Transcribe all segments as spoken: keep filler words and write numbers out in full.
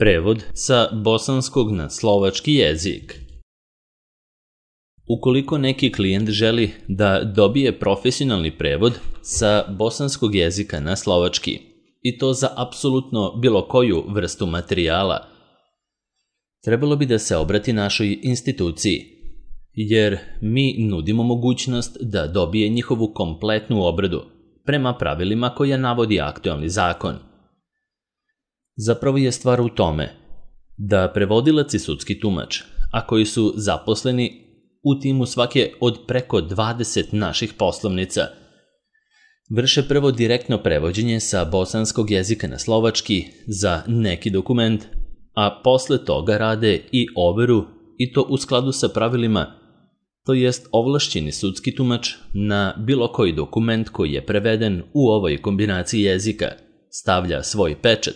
Prevod sa bosanskog na slovački jezik. Ukoliko neki klijent želi da dobije profesionalni prevod sa bosanskog jezika na slovački, i to za apsolutno bilo koju vrstu materijala, trebalo bi da se obrati našoj instituciji, jer mi nudimo mogućnost da dobije njihovu kompletnu obradu prema pravilima koja navodi aktualni zakon. Zapravo je stvar u tome da prevodilac i sudski tumač, a koji su zaposleni u timu svake od preko dvadeset naših poslovnica, vrše prvo direktno prevođenje sa bosanskog jezika na slovački za neki dokument, a posle toga rade i overu, i to u skladu sa pravilima, to jest ovlašćeni sudski tumač na bilo koji dokument koji je preveden u ovoj kombinaciji jezika stavlja svoj pečat,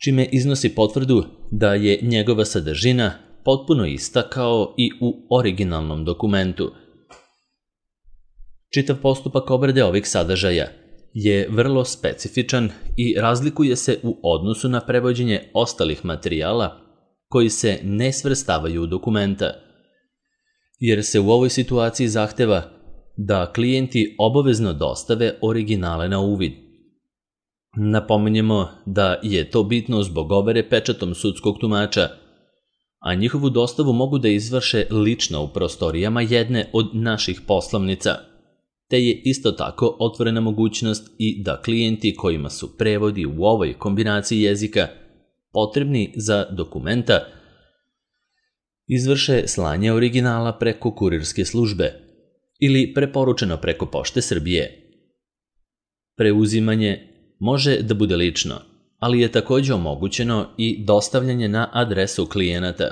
čime iznosi potvrdu da je njegova sadržina potpuno ista kao i u originalnom dokumentu. Čitav postupak obrade ovih sadržaja je vrlo specifičan i razlikuje se u odnosu na prevođenje ostalih materijala koji se ne svrstavaju u dokumenta, jer se u ovoj situaciji zahteva da klijenti obavezno dostave originale na uvid. Napominjemo da je to bitno zbog overe pečatom sudskog tumača, a njihovu dostavu mogu da izvrše lično u prostorijama jedne od naših poslovnica, te je isto tako otvorena mogućnost i da klijenti kojima su prevodi u ovoj kombinaciji jezika potrebni za dokumenta izvrše slanje originala preko kurirske službe ili preporučeno preko Pošte Srbije. Preuzimanje može da bude lično, ali je takođe omogućeno i dostavljanje na adresu klijenata,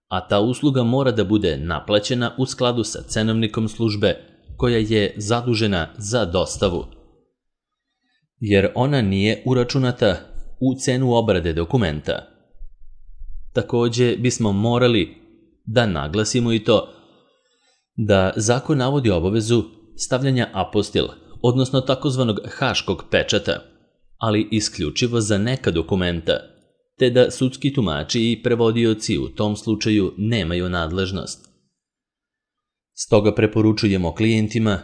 a ta usluga mora da bude naplaćena u skladu sa cenovnikom službe koja je zadužena za dostavu, jer ona nije uračunata u cenu obrade dokumenta. Takođe bismo morali da naglasimo i to da zakon navodi obavezu stavljanja apostil, odnosno takozvanog haškog pečata, ali isključivo za neka dokumenta, te da sudski tumači i prevodioci u tom slučaju nemaju nadležnost. Stoga preporučujemo klijentima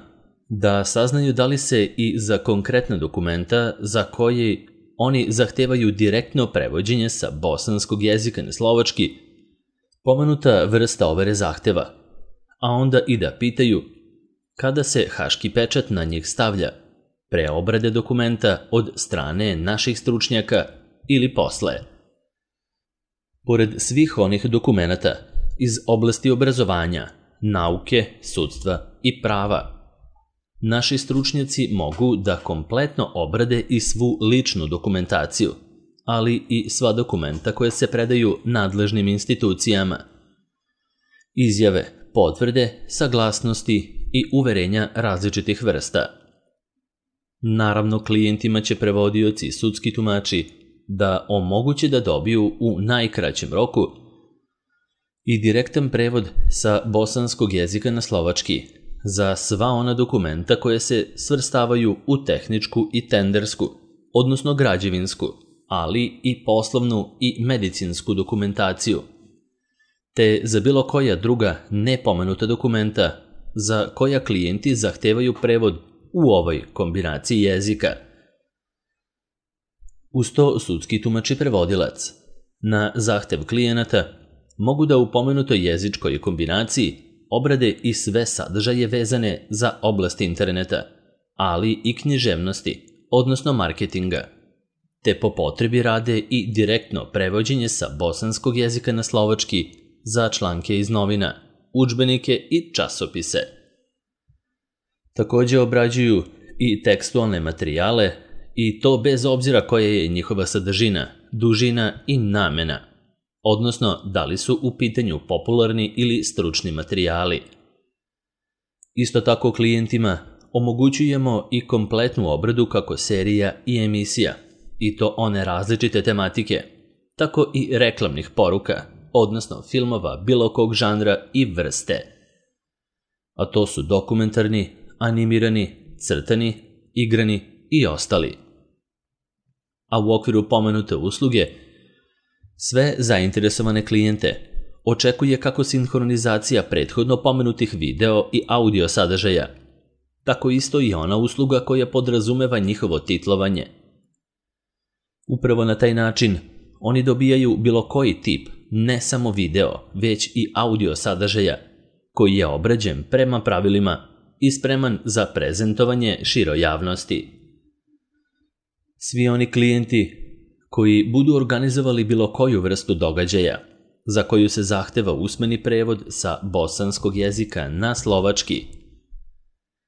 da saznaju da li se i za konkretna dokumenta za koje oni zahtevaju direktno prevođenje sa bosanskog jezika na slovački, pomenuta vrsta overe zahteva, a onda i da pitaju kada se haški pečat na njih stavlja, pre obrade dokumenta od strane naših stručnjaka ili posle. Pored svih onih dokumenata iz oblasti obrazovanja, nauke, sudstva i prava, naši stručnjaci mogu da kompletno obrade i svu ličnu dokumentaciju, ali i sva dokumenta koje se predaju nadležnim institucijama, izjave, potvrde, saglasnosti i uverenja različitih vrsta. Naravno, klijentima će prevodioci i sudski tumači da omoguće da dobiju u najkraćem roku i direktan prevod sa bosanskog jezika na slovački za sva ona dokumenta koje se svrstavaju u tehničku i tendersku, odnosno građevinsku, ali i poslovnu i medicinsku dokumentaciju, te za bilo koja druga nepomenuta dokumenta za koja klijenti zahtevaju prevod u ovoj kombinaciji jezika. Uz to sudski tumač i prevodilac na zahtev klijenata mogu da u pomenutoj jezičkoj kombinaciji obrade i sve sadržaje vezane za oblast interneta, ali i književnosti, odnosno marketinga, te po potrebi rade i direktno prevođenje sa bosanskog jezika na slovački za članke iz novina, udžbenike i časopise. Takođe obrađuju i tekstualne materijale, i to bez obzira koja je njihova sadržina, dužina i namena, odnosno da li su u pitanju popularni ili stručni materijali. Isto tako klijentima omogućujemo i kompletnu obradu kako serija i emisija, i to one različite tematike, tako i reklamnih poruka, odnosno filmova bilo kog žanra i vrste. A to su dokumentarni, animirani, crtani, igrani i ostali. a u okviru pomenute usluge sve zainteresovane klijente očekuje kako sinhronizacija prethodno pomenutih video i audio sadržaja, tako isto i ona usluga koja podrazumeva njihovo titlovanje. Upravo na taj način oni dobijaju bilo koji tip, ne samo video, već i audio sadržaja, koji je obrađen prema pravilima i spreman za prezentovanje široj javnosti. Svi oni klijenti koji budu organizovali bilo koju vrstu događaja, za koju se zahteva usmeni prevod sa bosanskog jezika na slovački,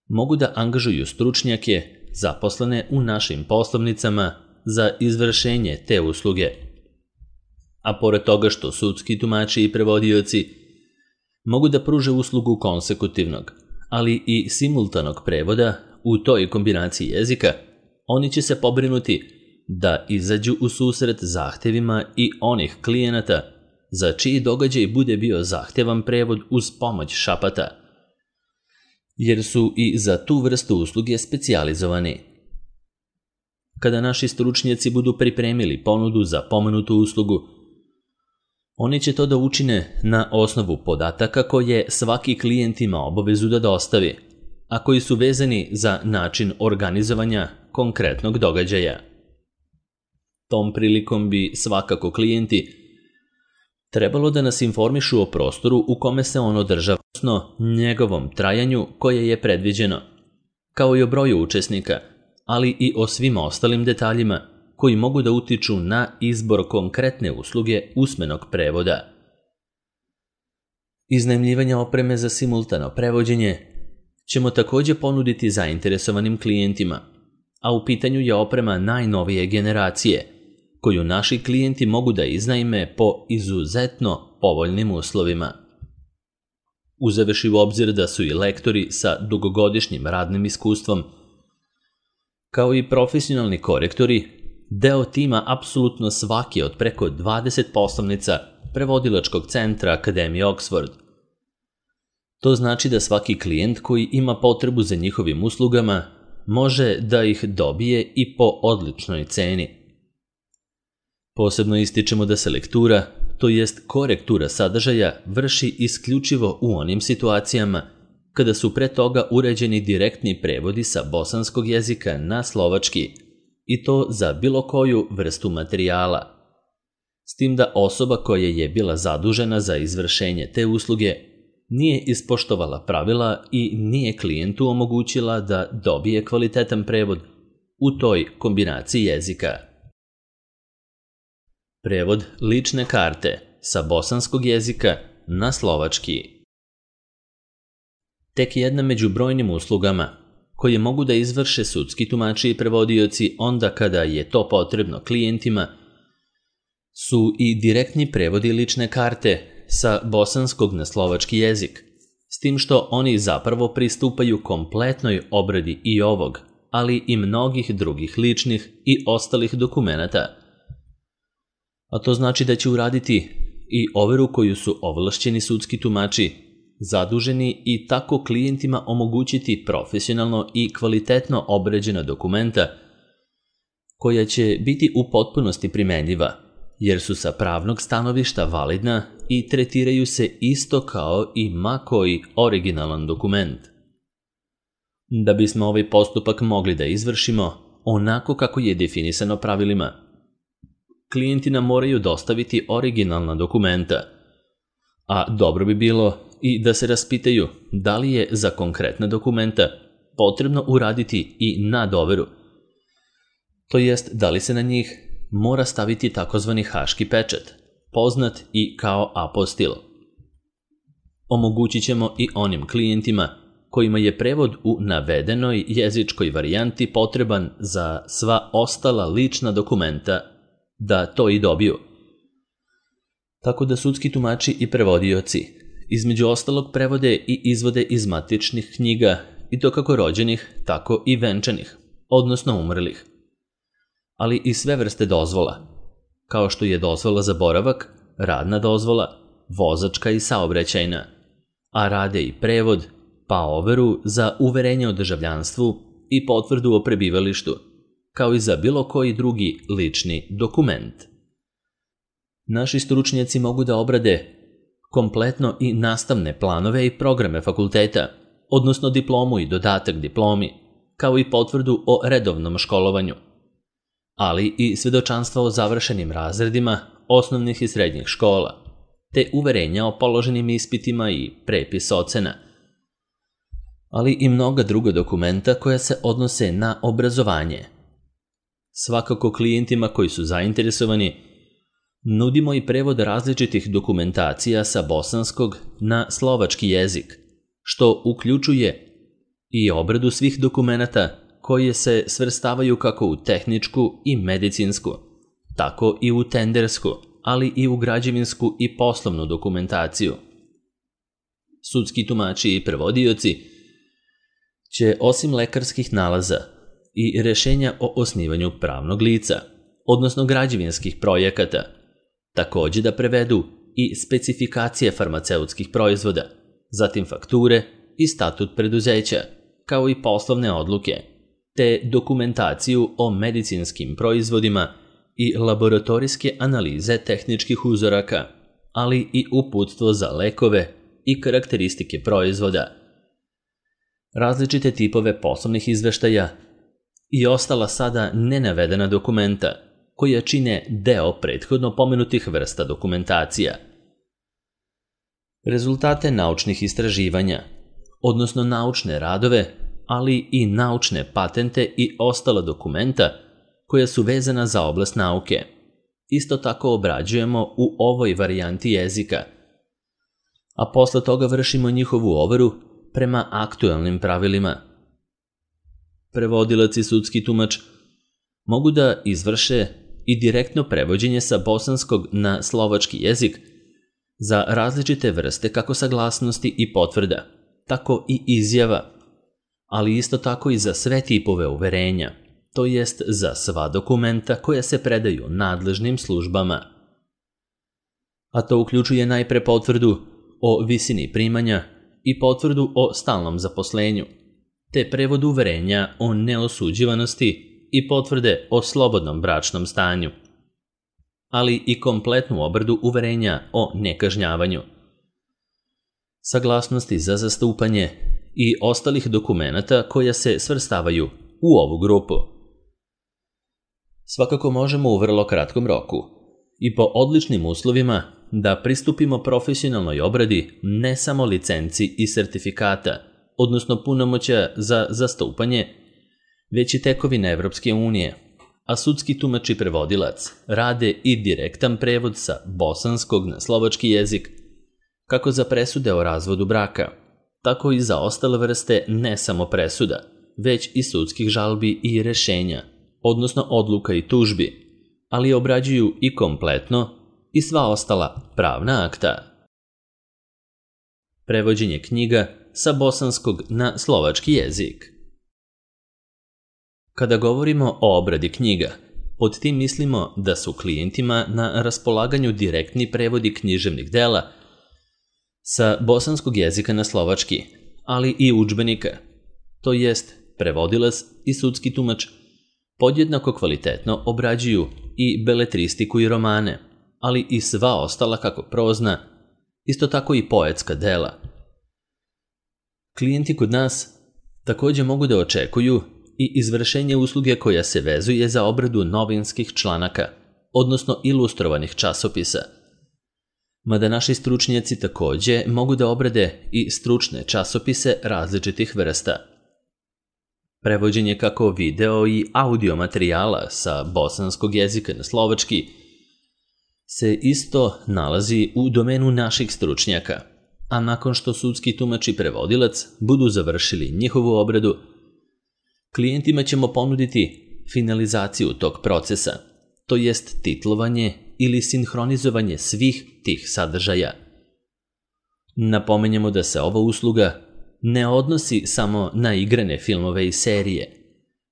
mogu da angažuju stručnjake zaposlene u našim poslovnicama za izvršenje te usluge. A pored toga što sudski tumači i prevodioci mogu da pruže uslugu konsekutivnog, ali i simultanog prevoda u toj kombinaciji jezika, oni će se pobrinuti da izađu u susret zahtevima i onih klijenata za čiji događaj bude bio zahtevan prevod uz pomoć šapata, jer su i za tu vrstu usluge specijalizovani. Kada naši stručnjaci budu pripremili ponudu za pomenutu uslugu, oni će to da učine na osnovu podataka koje svaki klijent ima obavezu da dostavi, a koji su vezani za način organizovanja konkretnog događaja. Tom prilikom bi svakako klijenti trebalo da nas informišu o prostoru u kome se on održava, odnosno njegovom trajanju koje je predviđeno, kao i o broju učesnika, ali i o svim ostalim detaljima koji mogu da utiču na izbor konkretne usluge usmenog prevoda. Iznajmljivanje opreme za simultano prevođenje ćemo također ponuditi zainteresovanim klijentima, a u pitanju je oprema najnovije generacije, koju naši klijenti mogu da iznajme po izuzetno povoljnim uslovima. Uzevši u obzir da su i lektori sa dugogodišnjim radnim iskustvom, kao i profesionalni korektori, deo tima apsolutno svake od preko dvadeset poslovnica prevodilačkog centra Akademije Oxford. To znači da svaki klijent koji ima potrebu za njihovim uslugama može da ih dobije i po odličnoj ceni. Posebno ističemo da se lektura, to jest korektura sadržaja, vrši isključivo u onim situacijama kada su pre toga uređeni direktni prevodi sa bosanskog jezika na slovački, i to za bilo koju vrstu materijala. S tim da osoba koja je bila zadužena za izvršenje te usluge nije ispoštovala pravila i nije klijentu omogućila da dobije kvalitetan prevod u toj kombinaciji jezika. Prevod lične karte sa bosanskog jezika na slovački. Tek jedna među brojnim uslugama koje mogu da izvrše sudski tumači i prevodioci onda kada je to potrebno klijentima su i direktni prevodi lične karte sa bosanskog na slovački jezik, s tim što oni zapravo pristupaju kompletnoj obradi i ovog, ali i mnogih drugih ličnih i ostalih dokumenata. A to znači da će uraditi i overu koju su ovlašćeni sudski tumači zaduženi i tako klijentima omogućiti profesionalno i kvalitetno obrađena dokumenta koja će biti u potpunosti primenljiva, jer su sa pravnog stanovišta validna i tretiraju se isto kao i ma koji originalan dokument. Da bismo ovaj postupak mogli da izvršimo onako kako je definisano pravilima, klijenti nam moraju dostaviti originalna dokumenta, a dobro bi bilo i da se raspitaju da li je za konkretna dokumenta potrebno uraditi i nadoveru, to jest da li se na njih mora staviti takozvani haški pečat, poznat i kao apostil. Omogućit ćemo i onim klijentima kojima je prevod u navedenoj jezičkoj varijanti potreban za sva ostala lična dokumenta da to i dobiju. Tako da sudski tumači i prevodioci između ostalog prevode i izvode iz matičnih knjiga, i to kako rođenih, tako i venčanih, odnosno umrlih, ali i sve vrste dozvola, kao što je dozvola za boravak, radna dozvola, vozačka i saobraćajna, a rade i prevod, pa overu za uverenje o državljanstvu i potvrdu o prebivalištu, kao i za bilo koji drugi lični dokument. Naši stručnjaci mogu da obrade kompletno i nastavne planove i programe fakulteta, odnosno diplomu i dodatak diplomi, kao i potvrdu o redovnom školovanju, ali i svedočanstva o završenim razredima osnovnih i srednjih škola, te uverenja o položenim ispitima i prepis ocena, ali i mnoga druga dokumenta koja se odnose na obrazovanje. Svakako klijentima koji su zainteresovani nudimo i prevod različitih dokumentacija sa bosanskog na slovački jezik, što uključuje i obradu svih dokumenata koje se svrstavaju kako u tehničku i medicinsku, tako i u tendersku, ali i u građevinsku i poslovnu dokumentaciju. Sudski tumači i prevodioci će osim lekarskih nalaza i rešenja o osnivanju pravnog lica, odnosno građevinskih projekata, takođe da prevedu i specifikacije farmaceutskih proizvoda, zatim fakture i statut preduzeća, kao i poslovne odluke, te dokumentaciju o medicinskim proizvodima i laboratorijske analize tehničkih uzoraka, ali i uputstvo za lekove i karakteristike proizvoda, različite tipove poslovnih izveštaja i ostala sada nenavedena dokumenta koja čine deo prethodno pomenutih vrsta dokumentacija. Rezultate naučnih istraživanja, odnosno naučne radove, ali i naučne patente i ostala dokumenta koja su vezana za oblast nauke. Isto tako obrađujemo u ovoj varijanti jezika, a posle toga vršimo njihovu overu prema aktuelnim pravilima. Prevodilac i sudski tumač mogu da izvrše i direktno prevođenje sa bosanskog na slovački jezik za različite vrste kako saglasnosti i potvrda, tako i izjava, ali isto tako i za sve tipove uverenja, to jest za sva dokumenta koja se predaju nadležnim službama. A to uključuje najpre potvrdu o visini primanja i potvrdu o stalnom zaposlenju, te prevod uverenja o neosuđivanosti i potvrde o slobodnom bračnom stanju, ali i kompletnu obradu uverenja o nekažnjavanju, saglasnosti za zastupanje i ostalih dokumenata koja se svrstavaju u ovu grupu. Svakako možemo u vrlo kratkom roku i po odličnim uslovima da pristupimo profesionalnoj obradi ne samo licenci i sertifikata, odnosno punomoćja za zastupanje, već i tekovine Evropske unije, a sudski tumač i prevodilac rade i direktan prevod sa bosanskog na slovački jezik, kako za presude o razvodu braka, tako i za ostale vrste ne samo presuda, već i sudskih žalbi i rešenja, odnosno odluka i tužbi, ali obrađuju i kompletno i sva ostala pravna akta. Prevođenje knjiga sa bosanskog na slovački jezik. Kada govorimo o obradi knjiga, pod tim mislimo da su klijentima na raspolaganju direktni prevodi književnih dela sa bosanskog jezika na slovački, ali i udžbenika, to jest prevodilac i sudski tumač podjednako kvalitetno obrađuju i beletristiku i romane, ali i sva ostala kako prozna, isto tako i poetska dela. Klijenti kod nas takođe mogu da očekuju i izvršenje usluge koja se vezuje za obradu novinskih članaka, odnosno ilustrovanih časopisa. Mada naši stručnjaci takođe mogu da obrade i stručne časopise različitih vrsta. Prevođenje kako video i audio materijala sa bosanskog jezika na slovački se isto nalazi u domenu naših stručnjaka, a nakon što sudski tumač i prevodilac budu završili njihovu obradu, klijentima ćemo ponuditi finalizaciju tog procesa, to jest titlovanje ili sinhronizovanje svih tih sadržaja. Napomenjemo da se ova usluga ne odnosi samo na igrane filmove i serije,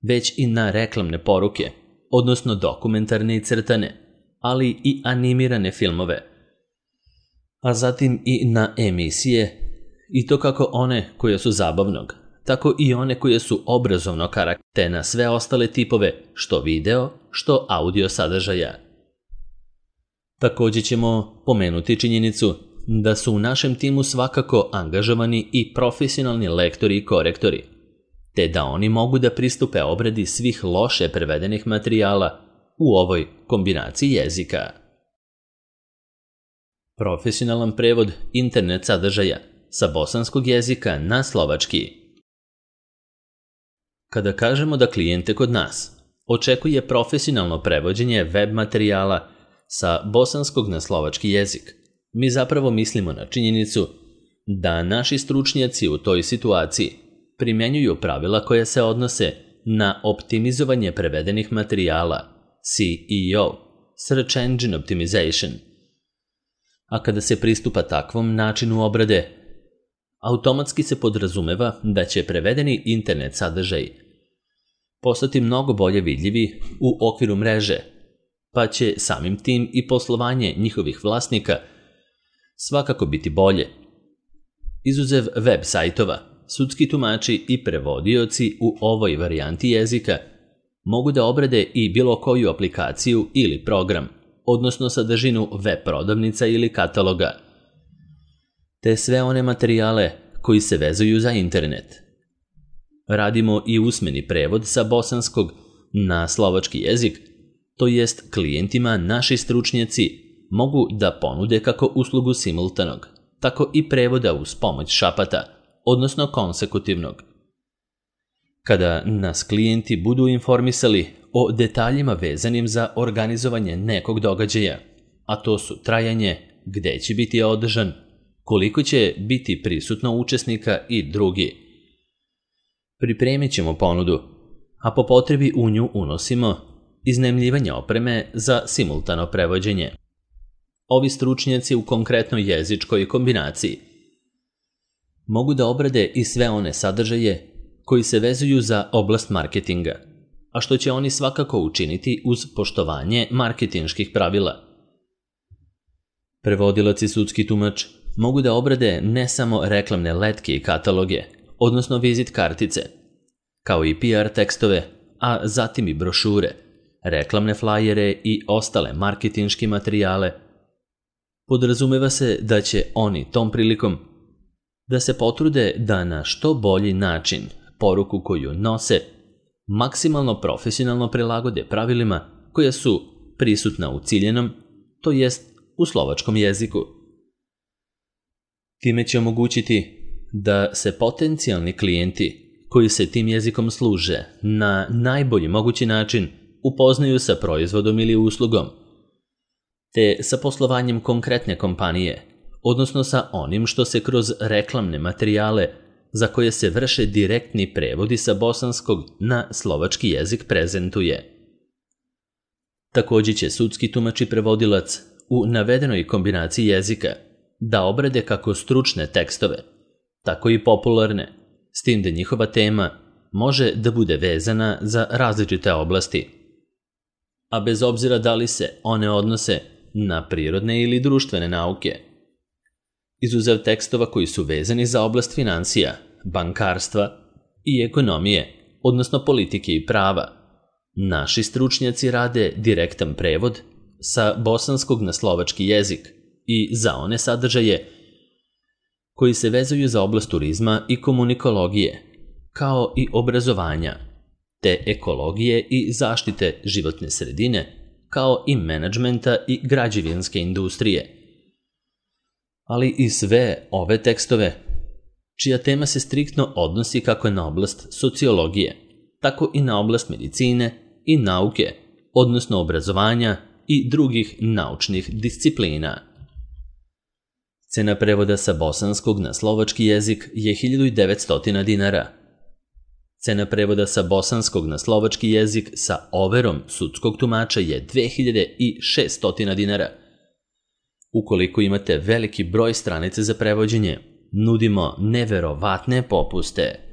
već i na reklamne poruke, odnosno dokumentarne i crtane, ali i animirane filmove, a zatim i na emisije, i to kako one koje su zabavnog, tako i one koje su obrazovnog karaktera, te na sve ostale tipove, što video, što audio sadržaja. Također ćemo pomenuti činjenicu da su u našem timu svakako angažovani i profesionalni lektori i korektori, te da oni mogu da pristupe obradi svih loše prevedenih materijala u ovoj kombinaciji jezika. Profesionalan prevod internet sadržaja sa bosanskog jezika na slovački. Kada kažemo da klijente kod nas očekuje profesionalno prevođenje web materijala sa bosanskog na slovački jezik, mi zapravo mislimo na činjenicu da naši stručnjaci u toj situaciji primjenjuju pravila koja se odnose na optimizovanje prevedenih materijala, S E O, Search Engine Optimization. A kada se pristupa takvom načinu obrade, automatski se podrazumeva da će prevedeni internet sadržaj postati mnogo bolje vidljivi u okviru mreže, pa će samim tim i poslovanje njihovih vlasnika svakako biti bolje. Izuzev web sajtova, sudski tumači i prevodioci u ovoj varijanti jezika mogu da obrade i bilo koju aplikaciju ili program, odnosno sadržinu web prodavnica ili kataloga, te sve one materijale koji se vezuju za internet. Radimo i usmeni prevod sa bosanskog na slovački jezik, to jest klijentima naši stručnjaci mogu da ponude kako uslugu simultanog, tako i prevoda uz pomoć šapata, odnosno konsekutivnog. Kada nas klijenti budu informisali o detaljima vezanim za organizovanje nekog događaja, a to su trajanje, gde će biti održan, koliko će biti prisutno učesnika i drugi, pripremit ćemo ponudu, a po potrebi u nju unosimo iznajmljivanje opreme za simultano prevođenje. Ovi stručnjaci u konkretnoj jezičkoj kombinaciji mogu da obrade i sve one sadržaje koji se vezuju za oblast marketinga, a što će oni svakako učiniti uz poštovanje marketinških pravila. Prevodilac i sudski tumač mogu da obrade ne samo reklamne letke i kataloge, odnosno vizit kartice, kao i P R tekstove, a zatim i brošure, reklamne flajere i ostale marketinške materijale. Podrazumeva se da će oni tom prilikom da se potrude da na što bolji način poruku koju nose maksimalno profesionalno prilagode pravilima koja su prisutna u ciljenom, to jest u slovačkom jeziku. Time će omogućiti da se potencijalni klijenti koji se tim jezikom služe na najbolji mogući način upoznaju sa proizvodom ili uslugom, te sa poslovanjem konkretne kompanije, odnosno sa onim što se kroz reklamne materijale za koje se vrše direktni prevodi sa bosanskog na slovački jezik prezentuje. Također će sudski tumač i prevodilac u navedenoj kombinaciji jezika da obrade kako stručne tekstove, tako i popularne, s tim da njihova tema može da bude vezana za različite oblasti, a bez obzira da li se one odnose na prirodne ili društvene nauke. Izuzev tekstova koji su vezani za oblast financija, bankarstva i ekonomije, odnosno politike i prava, naši stručnjaci rade direktan prevod sa bosanskog na slovački jezik i za one sadržaje koji se vezuju za oblast turizma i komunikologije, kao i obrazovanja, te ekologije i zaštite životne sredine, kao i menadžmenta i građevinske industrije. Ali i sve ove tekstove, čija tema se striktno odnosi kako na oblast sociologije, tako i na oblast medicine i nauke, odnosno obrazovanja i drugih naučnih disciplina. Cena prevoda sa bosanskog na slovački jezik je hiljadu devetsto dinara. Cena prevoda sa bosanskog na slovački jezik sa overom sudskog tumača je dve hiljade šesto dinara. Ukoliko imate veliki broj stranice za prevođenje, nudimo neverovatne popuste.